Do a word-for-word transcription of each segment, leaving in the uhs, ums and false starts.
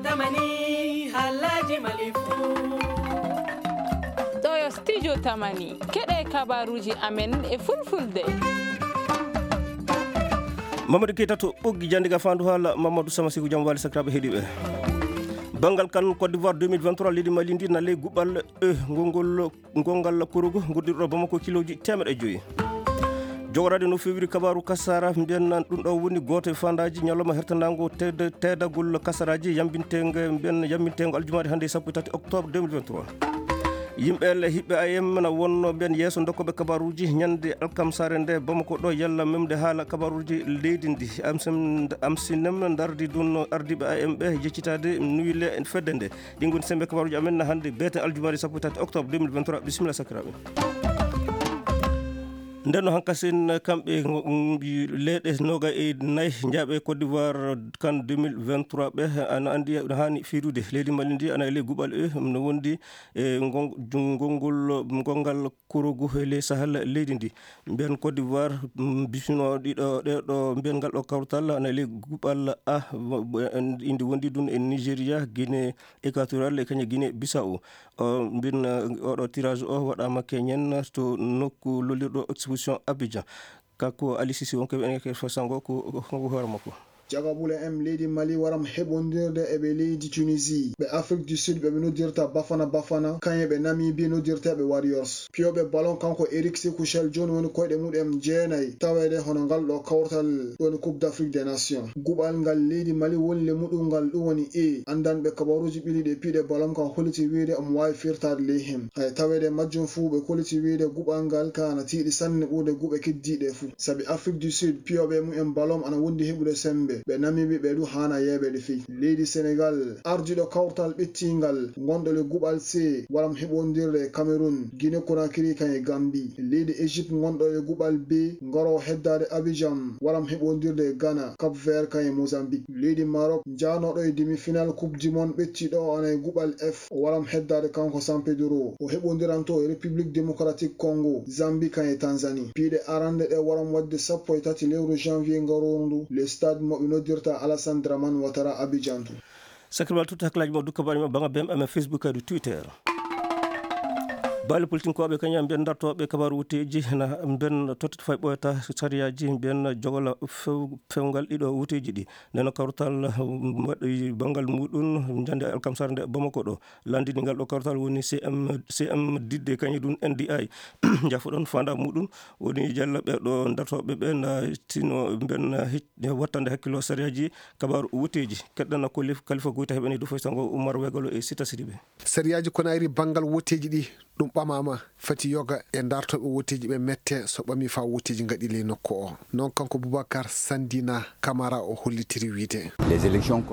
Tamani, halaji malifu. Ɗo yo studio Tamani. Keɗe kabaruji amen e fulfulde. Mamadou Keita to ɓoggi jandi ga fandu hala Mamadou Sama Siku jam wali sakiraɓe heɗiɓe. Bangal kan Côte d'Ivoire deux mille vingt-trois, leydi Mali ndi na ley guɓal e ngongol gongal kurugu guddirɗo Bamako kiloji teemeɗe joyi. Jogoraade no fewiri kabaru kasara mbiyen nan ɗum ɗo woni gooto e fandaji ñalawma hertandago teed-, teedagol kasaraji yambintego mbiyen yambintego aljumaare hannde sappo e tati octobre deux mille vingt-trois. Yimɓe le hiɓɓe A M na wonno mbiyen yeeso dokkoɓe kabaruji ñande alkamsare nde Bamako ɗo yalla memde haala kabaruji leydi ndi. Amsem-, amsinem dardi ɗum ardiɓe A M ɓe jeccitaade nuyile fedde nde. Ɗin ngoni sembe kabaruji amen na hannde beete aljumaare sappo e tati octobre deux mille vingt-trois. Bisimilla sakiraaɓe. Nden no hankasin kamɓe ngo-, mm, leyɗe noga e nayi njaaɓe Côte d'Ivoire kan deux mille vingt-trois ɓe, ana anndi no haani fiirude. Leydi Mali ndi ana e ley guɓal e no wondi e ngon-, ngongol, ngongal korogu e ley Sahel leydi ndi. Mbiyen Côte d'Ivoire, mm, bismino ɗiɗo, ɗeɗo, mbiyen ngal ɗo kawtal ana e ley guɓal A, indi wondi ɗum e Nigeria, Guinée Équatoriale e kañum Guinée Bissau. O, mbin, eh, oɗo tirage o waɗama keñen to nokku lollirɗo exposition Abidjan. Kanko Ali Sisi wonko ɓe ene ke fasango ko, ko, ko hoore makko. Jagabule M leydi Mali waram heɓondirde e ɓe leydi Tunisie. Ɓe Afrique du Sud ɓe ɓe noddirta Bafana Bafana, kañum ɓe Namibie noddirta ɓe Warriors. Piyoɓe ballon kanko Eric Sekouchel jooni woni koyɗe muɗum jeenayi taweede hono ngal ɗo kawtal woni Coupe d'Afrique des Nations. Guɓal ngal leydi Mali woni le muɗum ngal ɗum woni E. Anndanɓe kabaruuji ɓiliiɗi e piiɗe ballon kan holliti wiyde omo waawi firtaade ley heen. Hay taweede majjum fuu ɓe kolliti wiyde guɓal ngal ka ana tiiɗi sanne ɓurde guɓe keddiiɗe fuu. Sabi Afrique du Sud, piyooɓe mumen ballon ana wondi heɓude semmbe. Ɓe Namibie ɓe du haana yeeɓeede fey. Leydi Senegal, ardiiɗo kawtal ɓettiingal ngonɗo le guɓal C, waram heɓondirde e Cameroun, Guinée Conakry kan e Gambie. Leydi Égypte ngonɗo le guɓal B, ngaro heddaade Abidjan, waram heɓondirde e Ghana, Cap Vert kan e Mozambique. Leydi Maroc, njaanooɗo e demi-finale Coupe du Monde ɓettiiɗo o ana e guɓal F, o waram heddaade kanko San Pedro. O heɓondiranto e République Démocratique Congo, Zambie kan e Tanzanie. Piiɗe arande ɗe waram waɗde sappo e tati lewru janvier ngaroru ndu, le stade mo ɓe noddirta Alassane Dramane Ouattara Abidjan to. Sakirwal tutti hakkilaaji mo dukka baɗi mo baŋa B M M e Facebook e Twitter. Baali politinkooɓe kañum mbiyen dartooɓe kabaaru wutteeji na mbiyen tottet fay ɓooyata sariyaaji mbiyen jogola few-, fewngal ɗiɗo wutteeji ɗi. Nden no kawtal waɗi banngal muɗum njande alkamsare nde Bamako ɗo. Lanndini ngal ɗo kawtal woni C M, C M didde kañum ɗum N D I. Jafoɗon fanda muɗum woni jalla ɓe ɗo dartooɓe ɓe na tino mbiyen hic-, wattande hakkilo sariyaaji kabaaru wutteeji. Keɗɗana Kolif-, Kalifa Goyta heɓani du foy sango Umar Wegalo e Sita Sidibe. Sariyaaji Konayri banngal wotteeji ɗi ɗum ɓamaama, fati yoga e dartooɓe wotteeji ɓe mette so ɓami faa wotteeji ngaɗi ley nokku o. Noon kanko Boubacar Sandina Camara o hollitiri wiyde.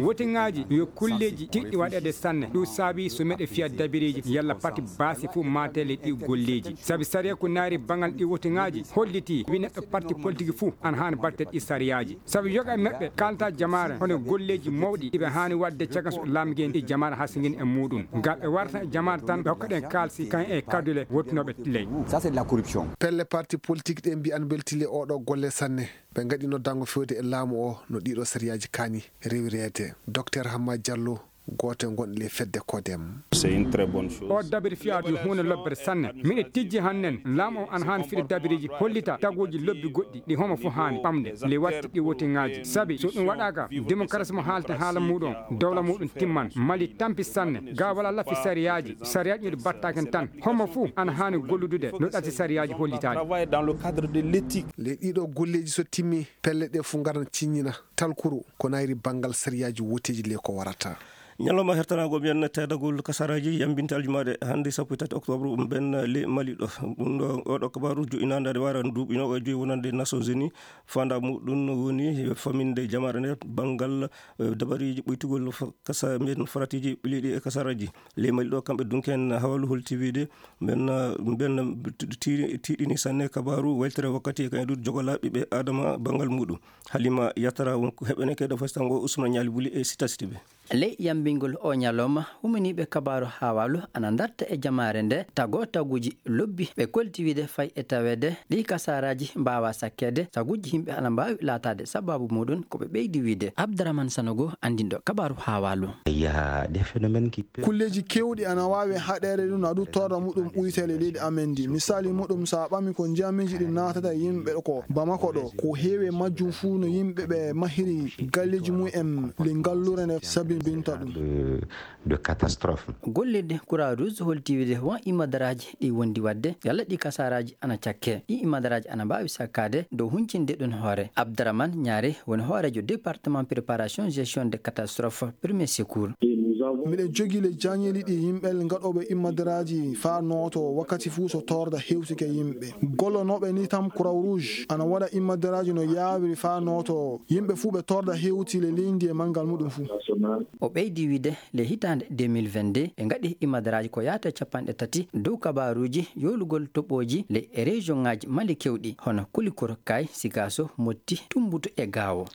Woteŋaaji yo kulleeji tiɗɗi waɗeede sanne. Ɗum saabi so meɗe fiya dabireeji yalla pati baasi fof maatele ɗi golleeji. Sabi sariya ko naari banngal ɗi woteŋaaji holliti wi neɗɗo parti politique fof ana haani batte ɗi sariyaaji. Sabu yoga e maɓɓe kalta jamaare hono golleeji mawɗi ɗi ɓe haani waɗde caggal so laamgeen e jamaare hasingin e muɗum. Ngam ɓe warta e jamaare tan ɓe hokka ɗen kaalsi kan e kadule wottunooɓe ley. Ça, c'est de la corruption. Pelle parti politique ɗe mbiyan mbeltile oɗo golle sanne. Ɓe ngaɗi noddango fewde e laamu o no ɗiɗo sariyaaji kaani rewireede. Docteur Hamma Diallo, gooto e gonɗi ley fedde Codem. C'est une très bonne chose. O dabiri fiyaatu yo huunde lobbere sanne. Miɗe tijji hannen, laamu o ana haani fide dabireeji hollita tagooji lobbi goɗɗi ɗi homo fof haani ɓamde le watti ɗi wotiŋaaji. Sabi so ɗum waɗaaka, démocratie mo haalten haala muɗum, dowla muɗum timman. Mali tampi sanne, ga wala lafi sariyaaji, sariyaaji ɗi battaken tan. Homo fof ana haani golludude no ɗati sariyaaji hollitaade. Travail dans le cadre de l'éthique. Le ɗiɗo golleeji so timmi, pelle ɗe fof ngaran ciññina talkuru ko nayri banngal sariyaaji woteeji le ko warata. Ñalawma hertanaago mbiyen teedagol kasaraaji yambinte aljumaade hannde sappo e tati octobre mben le Mali ɗo. Ɗum ɗo, oɗo kabaaru jo'inaande aɗa waara duuɓi noogaye joyi wonande Nations Unies. Fanda muɗum woni faminde jamaare nde banngal, eh, dabariiji ɓoytugol fa-, kasa mbiyen faratiiji ɓiliiɗi e kasaraaji. Le Mali ɗo kamɓe dunken hawalu holti wiide mben, eh, mben tiiɗi-, tiiɗini sanne kabaaru weltere wakkati e kañum ɗum jogolaaɓe ɓe Adama banngal muɗum. Halima Yatara won ko heɓene kede fasitango Ousmane Ñaali Buli e Sita Sidibe. Ley yambingol o ñalawma, humaniiɓe kabaaru Hawalu ana ndarta e jamaare nde tago taguji lobbi. Ɓe kolti wiide fay e taweede ɗi kasaaraaji mbaawa sakkeede, taguji yimɓe ana mbaawi laataade sababu muɗum. Ko ɓe ɓeydi wiide. Abdaraman Sanogo, anndinɗo kabaaru Hawalu. Il y a des phénomènes qui peuvent Kulleeji keewɗi ana waawi haɗeede ɗum, adu torra muɗum uytele leydi amen ndi. Misali muɗum, so a ɓami ko njamiji ɗi naatata e yimɓe ko Bamako ɗo, ko heewi e majjum fuu no yimɓe ɓe mahiri galleeji mum en ley ngallure nde sabinbinta ɗum. De, de catastrophe. Gollirde Croix Rouge holti wiide won imadaraaji ɗi wondi waɗde, yalla ɗi kasaaraaji ana cakke. Ɗi imadaraaji ana mbaawi sakkaade dow huncinde ɗum hoore. Abdaraman Ñaare woni hooreejo département préparation gestion de catastrophe premier secours. Miɗen jogii le jañeeli ɗi yimɓe ngaɗooɓe imadaraaji faa nooto wakkati fuu so torda hewtike yimɓe. Gollonooɓe ni tam Croix Rouge ana waɗa imadaraaji no yaawiri faa nooto yimɓe fuu ɓe torda hewti le leydi e manngal muɗum fuu. O ɓeydi wiide le hitaande deux mille vingt-deux ɓe ngaɗi imadaraaji ko yaata e capanɗe tati dow kabaaruuji yoolugol toɓooji le e région ŋaaji Mali kewɗi hono Kulikoro, Kay, Sikaso, Motti, Tumbutu e Gaawo.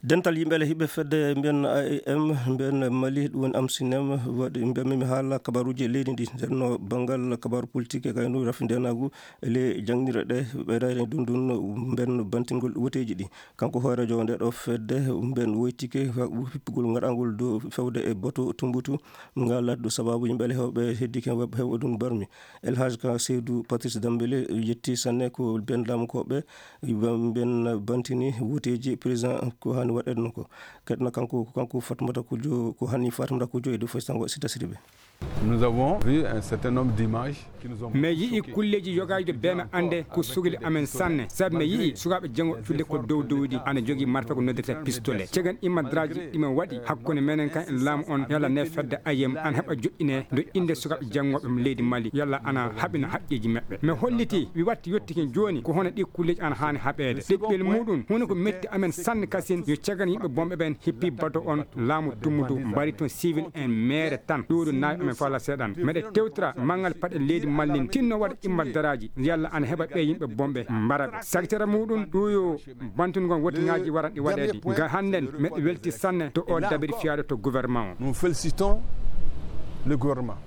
Dental yimɓe le hiɓe fedde mbiyen A E M, mbiyen Mali, ɗum woni Amsinem, waɗi mbiyen mi haala kabaruuji e leydi ndi. Nden no banngal kabaaru politique e kaynu rafi ndenaagu e le jaŋnire ɗe ɓe rayre ndun ndun mbiyen bantingol woteeji ɗi. Kanko hooreejo nde ɗo fedde mbiyen woytike hippugol ngaɗangol dow fewde e boto tumbutu ngal laddu sababu yimɓe le hewɓe heddike hew-, hew ɗum barmi. El Hadj Ka Seydou Patrice Dambélé yetti sanne ko mbiyen laamu ko ɓe mbiyen bantini woteeji président ko hani waɗede no ko. Keɗna kanko, kanko Fatmata Kujo, ko hani Fatmata Kujo e dow Faysal Sita Sidibé. Nous avons vu un certain nombre d'images qui nous ont mi yi'i kulleeji yogaaji bee mi annde ko sugli amen sanne, sabu mi yi'i sukaaɓe janngo fille ko dow dowdi ana jogii marfe ko noddirta pistolet. Cegan imadraaji ɗi men waɗi hakkunde menen kan e laamu on, yalla ne fedde ayem ana heɓa joɗɗine dow innde sukaaɓe janngooɓe mo leydi Mali, yalla ana haɓina haqqeeji maɓɓe. Mi holliti, mi watti yettike jooni ko hono ɗi kulleeji ana haani haɓeede. Ɗiɗɓel muɗum, huunde ko metti amen sanne kasin, yo cegan yimɓe bonɓe ɓen hippi bato on laamu Tumbutu, mbari toon civil en meere tan, ɗuuɗu naawi amen fala seeɗan. Meɗe tewtira manngal paɗe leydi Mali, tinno waɗa imma daraaji, yalla ana heɓa ɓe yimɓe bonɓe mbara ɓe. Sakitere muɗum, ɗuuyo bantungon wotiŋaaji waran ɗi waɗeede. Ga hannden, meɗe welti sanne to o dabiri fiyaaɗo to gouvernement o. Nous félicitons le gouvernement.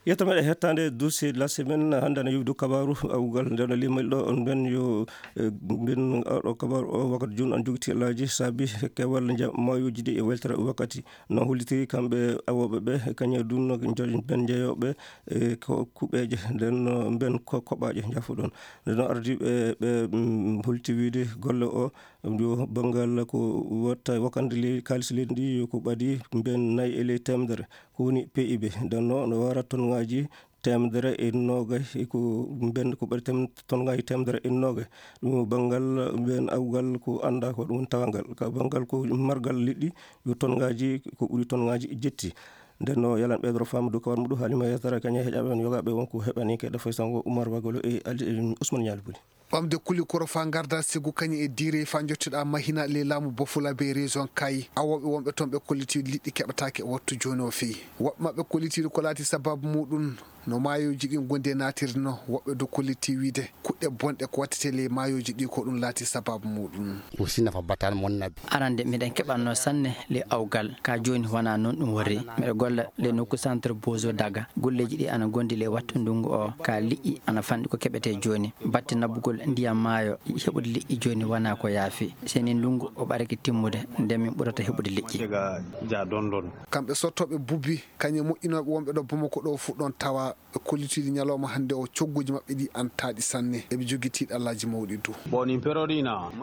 Yetto meɗen hettande dossier de la semaine, hannde ana yowdi kabaaru awgal nden limal ɗo on mben yo, eh, mben ɗo kabaaru o wakkati jun an jogiti laaji saabi kewal nja maayooji ɗi e weltere wakkati. No hollitiri kamɓe awooɓe ɓe, kañe dun no njo-, mben jeyooɓe, eh, ko kuɓeeje, nden no mben ko koɓaaje njafuɗon. Nden no ardiiɓe ɓe, mm, holliti wiide golle o, yo banngal ko watta wakkande ley-, kaalis leydi ndi ko ɓadi mben nayi e ley teemedere. Ko woni P I B, nden no, no wara tonngaaji teemedere e noogay, e ko mben ko ɓuri tem-, tonngaaji teemedere e noogay. Ɗum banngal mben awgal ko anndaa ko ɗum tawangal. Ka banngal ko margal liɗɗi, yo tonngaaji ko ɓuri tonngaaji jetti. Nden no yalan ɓeydoro faamu dow kawal muɗum, Halima Yatara, kañe heƴaɓe on yogaaɓe won ko heɓani ke ɗo fay sango Umar Bagolo e Ali, e Ousmane Ñaali Buli. Ɓamde Kulikoro faa ngarda sigu kañum e diire faa njottiɗaa mahina ley laamu Bofula be région Kayi. Awooɓe wonɓe toon ɓe kolliti liɗɗi keɓataake e wattu jooni o feyi. Woɓɓe maɓɓe kolliti ko laati sababu muɗum no maayooji ɗin gondi e naatirde no. Woɓɓe du kolliti wiide kuɗɗe bonɗe ko wattete ley maayooji ɗi ko ɗum laati sababu muɗum. Aussi nafa batan mon nabi. Arande miɗen keɓatno sanne ley awgal, ka jooni wonaa noon ɗum worri. Miɗo golla ley nokku centre Bozo Daga. Golleeji ɗi ana gondi ley wattu ndungu o, ka liƴƴi ana fanɗi ko keɓetee jooni. Batte naɓugol ndiyam maayo, heɓude liƴƴi jooni wonaa ko yaafi. Seni ndungu o ɓarake timmude, nden min ɓurata heɓude liƴƴi. Kamɓe sottooɓe bubbi, kañum e moƴƴinooɓe wonɓe ɗo Bamako ɗo fuu ɗon tawa. Ɓe kollitiiɗi ñalawma hannde o, cogguuji maɓɓe ɗi ana taaɗi sanne. Eɓe jogii tiiɗallaaji mawɗi du.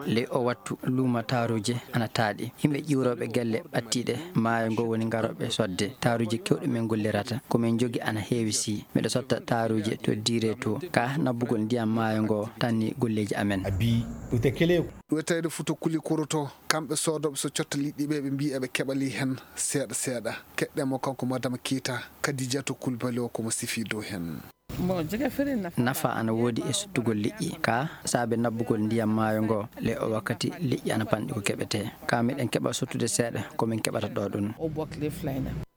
Ley o wattu, luuma taaruuje ana taaɗi. Yimɓe ƴiwrooɓe gelle ɓattiiɗe maayo ngo woni ngarooɓe sodde taaruuje kewɗe min ngollirata. Ko min njogi ana heewi si. Miɗo sotta taaruuje to diire to. Ka naɓugol ndiyam maayo ngo tanni golleeji amen. Abi, ute kele. Wetayde Fuuta Kulikoro to, kamɓe soodooɓe so cotta liƴƴi ɓe, ɓe mbii eɓe keɓa ley heen seeɗa seeɗa. Keɗɗen mo kanko Madame Keita, Kadijatu Kulbali o ko mo sifii dow heen. Nafa ana woodi e sottugol liƴƴi. Ka saabe naɓugol ndiyam maayo ngo, ley o wakkati liƴƴi ana panɗi ko keɓetee. Ka miɗen keɓa sottude seeɗa ko min keɓata ɗo ɗum.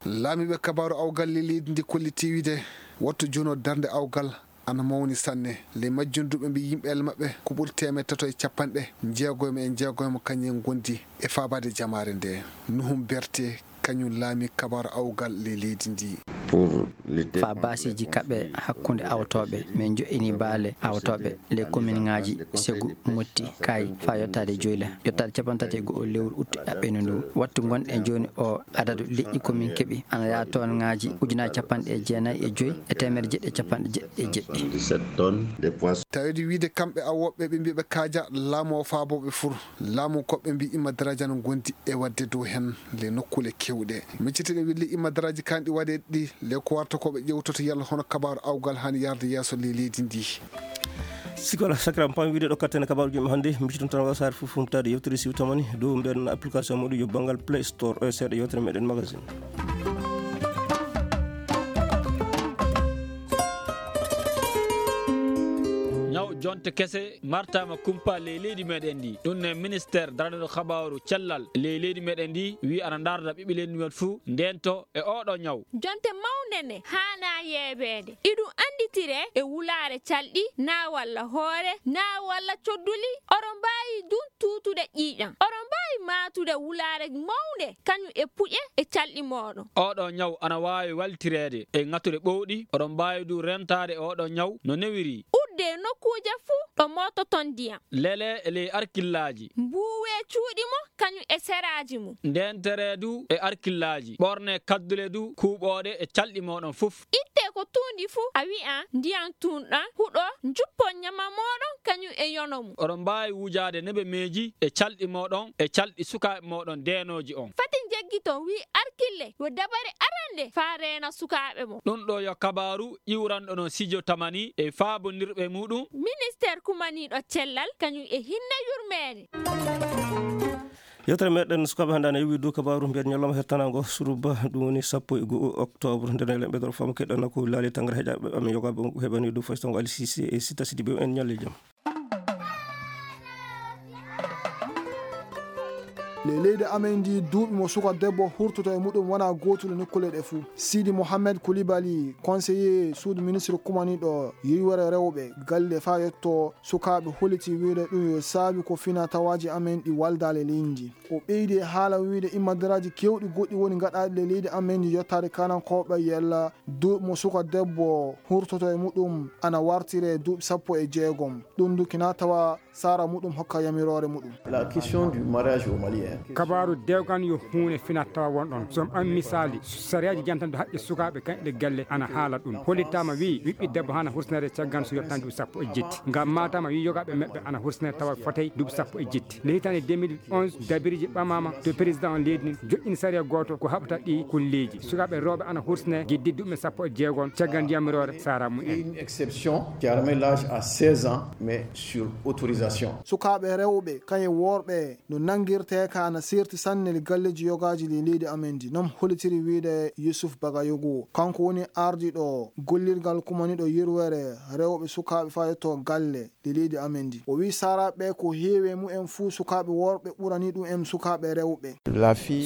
Laamiiɓe kabaaru awgal ley leydi ndi kolliti wiide wattu jooni o darnde awgal Ana mawni sanne. Ley majjum du ɓe mbii yimɓe Allah maɓɓe ko ɓuri teemeɗɗe tato e capanɗe jeegomo e jeegomo kañum en ngondi e faabaade jamaare nde. Nuhum Berte kañum laami kabaaru awgal ley leydi ndi. Faa baasiiji kaɓe hakkunde awtooɓe, min joƴƴini baale awtooɓe ley kominŋaaji Segu, Motti, Kaayi faa yottaade Joyla. Yottaade cappanɗe tati e go'o lewru ut aɓɓeende ndu. Wattu ngonɗen jooni o, adadu leƴƴi ko min keɓi ana yaha toon ŋaaji ujunaaji cappanɗe jeenayi e joy e teemedde jeɗɗi e cappanɗe jeɗɗi e jeɗɗi. Tawde wiide kamɓe awooɓe ɓe mbii ɓe kaaja laamu o faabooɓe fur. Laamu ko ɓe mbii Imma Daraaji ana ngondi e waɗde dow heen le nokkuule keewɗe. Miccitene wille Imma Daraaji kanɗi waɗe ɗi le ko warta ko ɓe ƴewtoto yalla hono kabaaru awgal haani yarde yeeso le leydi ndi. Sikola sakram pam wiide ɗo katten e kabaaruji men hannde, mbiɗon tan wasaare fof fumtaade yewtere siwtamani dow mbeɗen application muɗum yo banngal Play Store o e seeɗa yewtere meɗen magazine. Ñaw jonte kese martaama kumpa ley leydi meɗen ndi. Ɗum ne ministeer daraniiɗo kabaaru cellal ley leydi meɗen ndi wi ana ndaarda ɓiɓɓe leydi men fuu ndento e oɗo ñaw. Jonte mawnde ne haanaa yeebeede. Iɗum annditire e wulaare calɗi, naa walla hoore, naa walla codduli. Oɗo mbaawi dun tuutude ƴiiƴam. Oɗo mbaawi maatude wulaare mawnde kañum e puƴe e calɗi mooɗon. Oɗo ñaw ana waawi waltireede e ŋature ɓowɗi. Oɗo mbaawi du rentaade oɗo ñaw no newiri. Udde nokkuuje fuu ɗo moototon ndiyam. Lele e ley arkillaaji. Mbuuwe cuuɗi mo kañum e seraaji mum. Ndeentere du e arkillaaji. Ɓorne kaddule du kuuɓooɗe e calɗi mooɗon fof. Itte ko tuundi fuu, a wi'an ndiyam tuunɗam huɗo, njuppon ñama mooɗon kañum e yono mum. Oɗon mbaawi wujaade nebemeeji e calɗi mooɗon e calɗi sukaaɓe mooɗon deenooji on. Fati njeggiton, wi arkille, yo dabare arande faa reena sukaaɓe mon. Ɗum ɗo yo kabaaru iwranɗo no Sijo Tamani e faabondirɓe muɗum. Ministeer kumaniiɗo cellal kañum e hinne yurmeende. Yewtere meɗen sukaaɓe hannde ana iwi dow kabaaru mbiyen ñalawma hettanaango suruba, ɗum woni sappo e go'o octobre. Nden e lemɓe dor fam keɗɗana ko laali tangara heƴaɓe amen yogaaɓe on heɓani dow fayso ngo Ali Sise e Sita Sidibe en ñalle jam. Ley leydi amen ndi duuɓi mo suka debbo hurtoto e muɗum wona gootule nokkuule ɗe fuu. Sidi Mohamed Koulibaly, conseiller suudu ministre kumaniiɗo yurwere rewɓe galle faa yetto sukaaɓe holiti wiide ɗum yo saabi ko fina tawaaji amen ɗi waldaale leydi ndi. O ɓeydi e haala wiide immadaraaji keewɗi goɗɗi woni gaɗaaɗi ley leydi amen ndi yottaade kanankooɓe yalla duuɓi mo suka debbo hurtoto e muɗum ana wartire duuɓi sappo e jeegom. Ɗum du kina tawa sara muɗum hokka yamiroore muɗum. La question du mariage au Mali, hein. Kabaaru dewgan yo huunde finat tawa won ɗon. So on misaali, sariyaaji jantanɗo haqqe sukaaɓe kañɗe galle ana haala ɗum. Hollitaama wi, ɓiɓɓe debbo hana hursinere caggan so yottani duuɓi sappo e jetti. Ngam maataama wi yogaaɓe maɓɓe ana hursinere tawa fotay duuɓi sappo e jetti. Nde hitaande deux mille onze, dabiriji ɓamaama to président on leydi ndin joƴƴini sariya gooto ko haɓata ɗi kulleeji. Sukaaɓe rewɓe ana hursine giddi duuɓi sappo e jeegom caggal yamiroore sara mumen. Une exception qui a remis l'âge à seize ans, mais sur autorisation. Sukaaɓe rewɓe kañum worɓe no nanngirtee ka ana seerti sanne le galleeji yogaaji le leydi amen ndi, non hollitiri wiide Yusuf Bagayogo. Kanko woni ardiiɗo gollirgal kumaniiɗo yirwere rewɓe sukaaɓe faa yetto galle le leydi amen ndi. O wi saraaɓe ko heewi e mumen fuu sukaaɓe worɓe ɓurani ɗum en sukaaɓe rewɓe.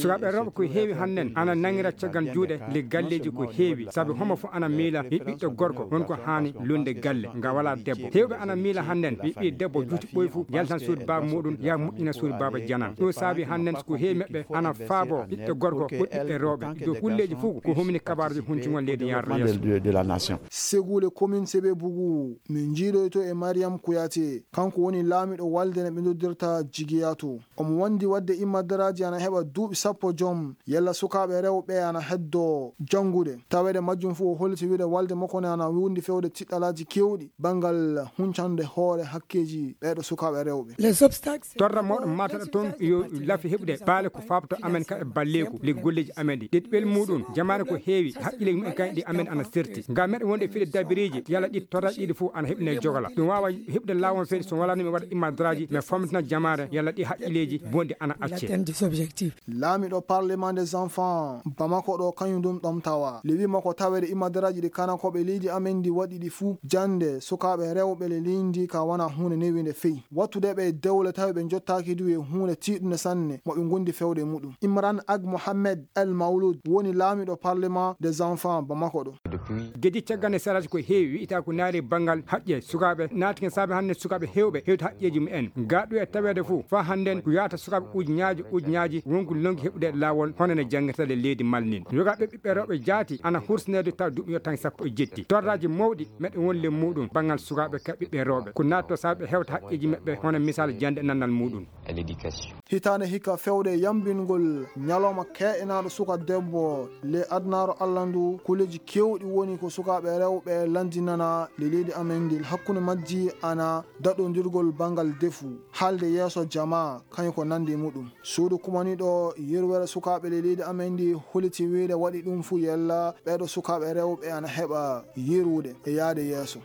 Sukaaɓe rewɓe ko heewi hannden ana nangira caggal juuɗe le galleeji ko heewi, sabu homo fof ana miila wi ɓiɗɗo gorko won ko haani lunde galle nga wala debbo. Heewɓe ana miila hannden wi ɓii debbo juuti ɓoy fuu yaltan suudu baaba muɗum ya moƴƴina suudu baaba janan. Ɗum saabi hannden ko heewi maɓɓe ana faabo ɓiɓɓe gorko ko ɓiɓɓe rewɓe. Ɗo kulleeji fof ko humini kabaaruji huncugol leydi yarde yeeso. Segule commune Sebe Bugu, min njiidoyto e Mariam Kouyaté. Kanko woni laamiɗo walde no ɓe noddirta Jigiya to. Omo wondi waɗde immadaraaji ana heɓa duuɓi sappo joom, yalla sukaaɓe rewɓe ana heddo janngude. Taweede majjum fof o holliti wiide walde makko ne ana wondi fewde tiɗɗalaaji keewɗi banngal huncande hoore hakkeeji ɓeeɗo sukaaɓe rewɓe. Torra mawɗo matata toon yo lafi heɓude baale ko fabto amen ka e balleeku le golleeji amen ɗi. Ɗiɗɓel muɗum, jamaane ko heewi, haqqilleeji mumen kañum ɗi amen ana serti. Ngam meɗen wonde fiɗe dabiriiji, yalla ɗi torra ɗiɗi fof ana heɓine jogala. Ɗum waawa heɓude laawol feere so wala ni mi waɗa immadraaji, mi fomtina jamaare, yalla ɗi haqqilleeji bonɗi ana acce. Laamiɗo Parlement des enfants Bamako ɗo kañum ɗum ɗom tawa. Le wi makko taweede immadraaji ɗi kanankooɓe leydi amen ndi waɗi ɗi fuu jannde sukaaɓe rewɓe le leydi ndi ka wona huunde newinde fey. Wattude ɓe dewle tawi ɓe njottaaki du e huunde tiiɗunde sanne. mo ɓe ngondi fewde muɗum. Imran Ag Mohamed El Maulud woni laamiɗo Parlement des Enfants Bamako ɗo. Geji caggal nde saraaji ko heewi wi'ita ko naari banngal haqqe sukaaɓe naati ken saabe hannde sukaaɓe heewɓe hewta haqqeeji mumen. Gaɗu e taweede fof faa hannden ko yaata sukaaɓe ujunaaji ujunaaji wonko lonngi heɓude laawol hono no janngirta le leydi Mali nin. Yogaaɓe ɓiɓɓe rewɓe jaati ana hursineede taw duuɓi yo tan sappo e jetti. Torraaji mawɗi meɗen won le muɗum banngal sukaaɓe ka ɓiɓɓe rewɓe. Ko naatto saabe hewta haqqeeji maɓɓe hono misal jannde nannal muɗum. Hitaande hikka fewde yambingol ñalawma ke'enaaɗo suka debbo le adunaaru Allah ndu, kuleeji keewɗi woni ko sukaaɓe rewɓe lanndinana le leydi amen ndi, hakkunde majji ana daɗondirgol banngal defu, haalde yeeso jamaa, kañum ko nanndi muɗum. Suudu kumaniiɗo yirwere sukaaɓe le leydi amen ndi holiti wiyde waɗi ɗum fuu yella ɓeeɗo sukaaɓe rewɓe ana heɓa yirude e yahde yeeso.